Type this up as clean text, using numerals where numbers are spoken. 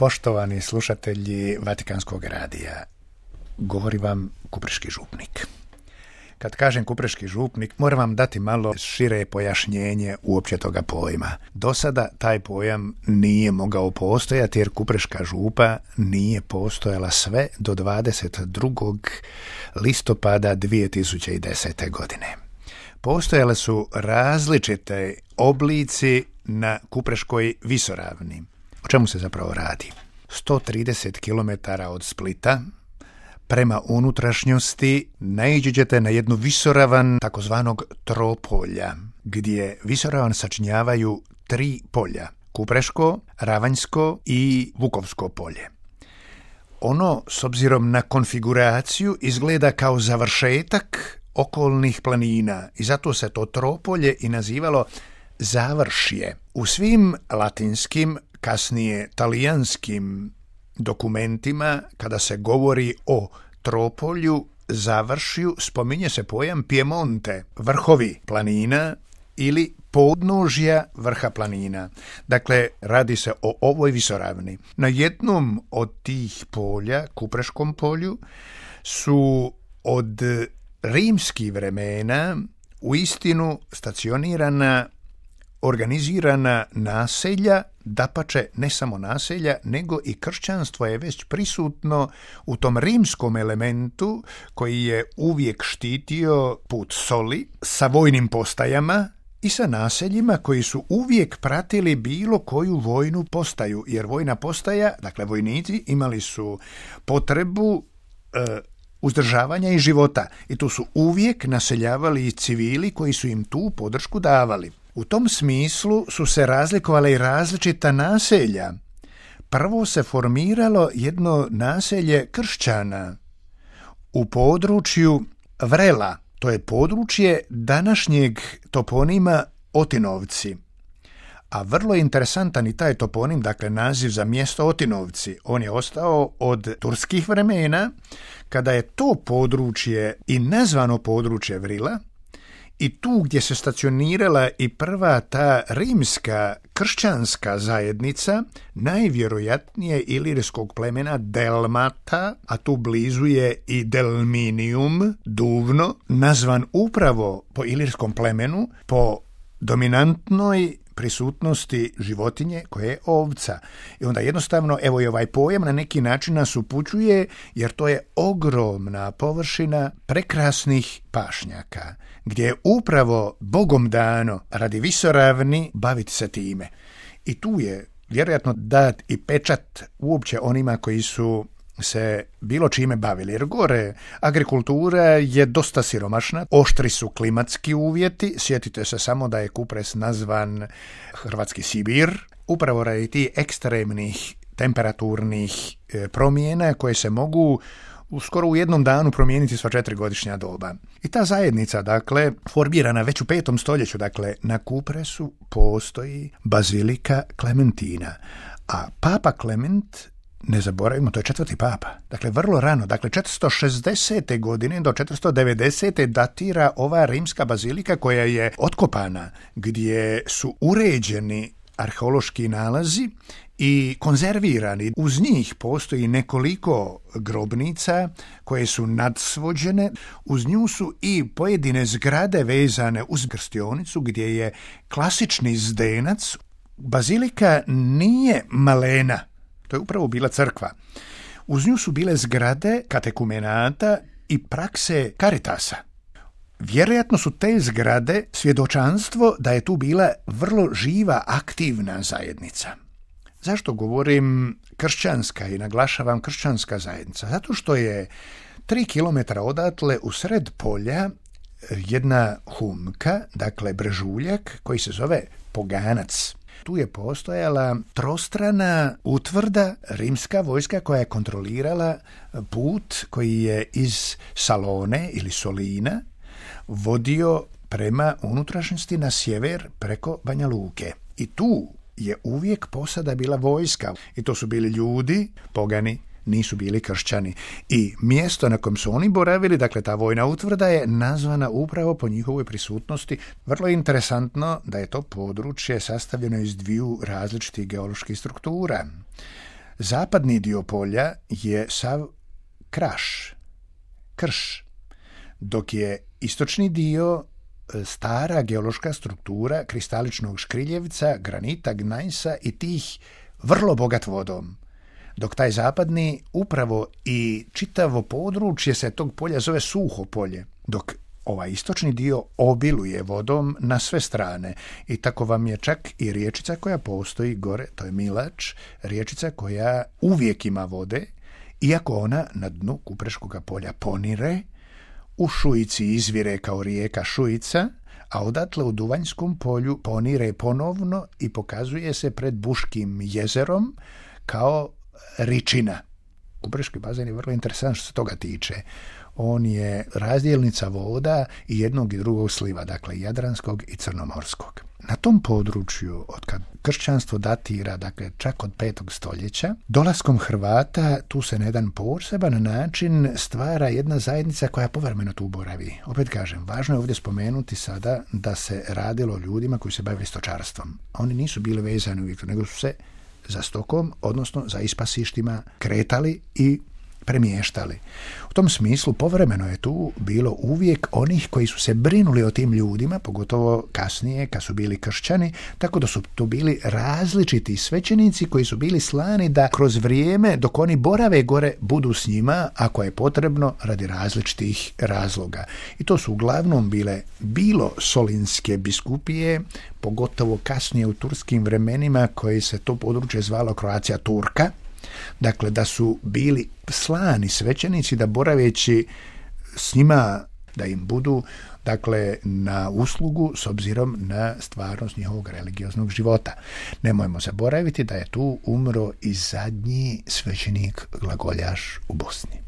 Poštovani slušatelji Vatikanskog radija, govori vam Kupreški župnik. Kad kažem Kupreški župnik, moram vam dati malo šire pojašnjenje uopće toga pojma. Do sada taj pojam nije mogao postojati jer Kupreška župa nije postojala sve do 22. listopada 2010. godine. Postojale su različite oblici na Kupreškoj visoravni. O čemu se zapravo radi? 130 km od Splita prema unutrašnjosti naići ćete na jednu visoravan takozvanog tropolja, gdje visoravan sačinjavaju 3 polja: Kupreško, Ravanjsko i Vukovsko polje. Ono, s obzirom na konfiguraciju, izgleda kao završetak okolnih planina i zato se to tropolje i nazivalo završje. U svim latinskim, kasnije talijanskim dokumentima, kada se govori o tropolju, završju, spominje se pojam Piemonte, vrhovi planina ili podnožja vrha planina. Dakle, radi se o ovoj visoravni. Na jednom od tih polja, Kupreškom polju, su od rimskih vremena uistinu stacionirana organizirana naselja, dapače ne samo naselja, nego i kršćanstvo je već prisutno u tom rimskom elementu koji je uvijek štitio put soli sa vojnim postajama i sa naseljima koji su uvijek pratili bilo koju vojnu postaju, jer vojna postaja, dakle vojnici, imali su potrebu uzdržavanja i života i tu su uvijek naseljavali i civili koji su im tu podršku davali. U tom smislu su se razlikovale i različita naselja. Prvo se formiralo jedno naselje kršćana u području Vrela. To je područje današnjeg toponima Otinovci. A vrlo interesantan i taj toponim, dakle naziv za mjesto Otinovci. On je ostao od turskih vremena, kada je to područje i nazvano područje Vrila, i tu gdje se stacionirala i prva ta rimska kršćanska zajednica, najvjerojatnije ilirskog plemena Delmata, a tu blizu je i Delminium, Duvno, nazvan upravo po ilirskom plemenu, po dominantnoj prisutnosti životinje koje je ovca. I onda jednostavno, evo i ovaj pojam na neki način nas upućuje, jer to je ogromna površina prekrasnih pašnjaka, gdje je upravo Bogom dano radi visoravni baviti se time. I tu je vjerojatno dat i pečat uopće onima koji su se bilo čime bavili, jer gore agrikultura je dosta siromašna, oštri su klimatski uvjeti, sjetite se samo da je Kupres nazvan Hrvatski Sibir, upravo radi tih ekstremnih temperaturnih promjena koje se mogu skoro u jednom danu promijeniti sva 4 godišnja doba. I ta zajednica, dakle, formirana već u 5. stoljeću, dakle, na Kupresu postoji bazilika Klementina, a Papa Klement, ne zaboravimo, to je 4. papa. Dakle, vrlo rano, dakle 460. godine do 490. datira ova rimska bazilika koja je otkopana, gdje su uređeni arheološki nalazi i konzervirani. Uz njih postoji nekoliko grobnica koje su nadsvođene. Uz nju su i pojedine zgrade vezane uz krstionicu gdje je klasični zdenac. Bazilika nije malena. To je upravo bila crkva. Uz nju su bile zgrade katekumenata i prakse Caritasa. Vjerojatno su te zgrade svjedočanstvo da je tu bila vrlo živa, aktivna zajednica. Zašto govorim kršćanska i naglašavam kršćanska zajednica? Zato što je 3 kilometra odatle u sred polja jedna humka, dakle brežuljak, koji se zove Poganac. Tu je postojala trostrana utvrda, rimska vojska koja je kontrolirala put koji je iz Salone ili Solina vodio prema unutrašnjosti na sjever preko Banja Luke. I tu je uvijek posada bila vojska. I to su bili ljudi, pogani, nisu bili kršćani. I mjesto na kojem su oni boravili, dakle ta vojna utvrda, je nazvana upravo po njihovoj prisutnosti. Vrlo je interesantno da je to područje sastavljeno iz 2 različitih geoloških struktura. Zapadni dio polja je sav krš, dok je istočni dio stara geološka struktura kristaličnog škriljevca, granita, gnajsa i tih vrlo bogat vodom. Dok taj zapadni upravo i čitavo područje se tog polja zove suho polje, dok ovaj istočni dio obiluje vodom na sve strane i tako vam je čak i riječica koja postoji gore, to je Milač, riječica koja uvijek ima vode, iako ona na dnu Kupreškoga polja ponire, u Šujici izvire kao rijeka Šujica, a odatle u Duvanjskom polju ponire ponovno i pokazuje se pred Buškim jezerom kao Ričina. Kupreški bazen je vrlo interesantan što se toga tiče. On je razdjelnica voda i jednog i drugog sliva, dakle Jadranskog i Crnomorskog. Na tom području, od kad kršćanstvo datira, dakle čak od 5. stoljeća, dolaskom Hrvata tu se na jedan poseban način stvara jedna zajednica koja povremeno tu boravi. Opet kažem, važno je ovdje spomenuti sada da se radilo o ljudima koji se bavili stočarstvom. Oni nisu bili vezani uvijek, nego su se za stokom, odnosno za ispasištima kretali i premještali. U tom smislu povremeno je tu bilo uvijek onih koji su se brinuli o tim ljudima, pogotovo kasnije kad su bili kršćani, tako da su tu bili različiti svećenici koji su bili slani da kroz vrijeme dok oni borave gore budu s njima ako je potrebno radi različitih razloga. I to su uglavnom bile bilo solinske biskupije, pogotovo kasnije u turskim vremenima koji se to područje zvalo Croatia Turka. Dakle, da su bili slani svećenici da boraveći s njima da im budu dakle na uslugu s obzirom na stvarnost njihovog religioznog života. Nemojmo zaboraviti da je tu umro i zadnji svećenik glagoljaš u Bosni.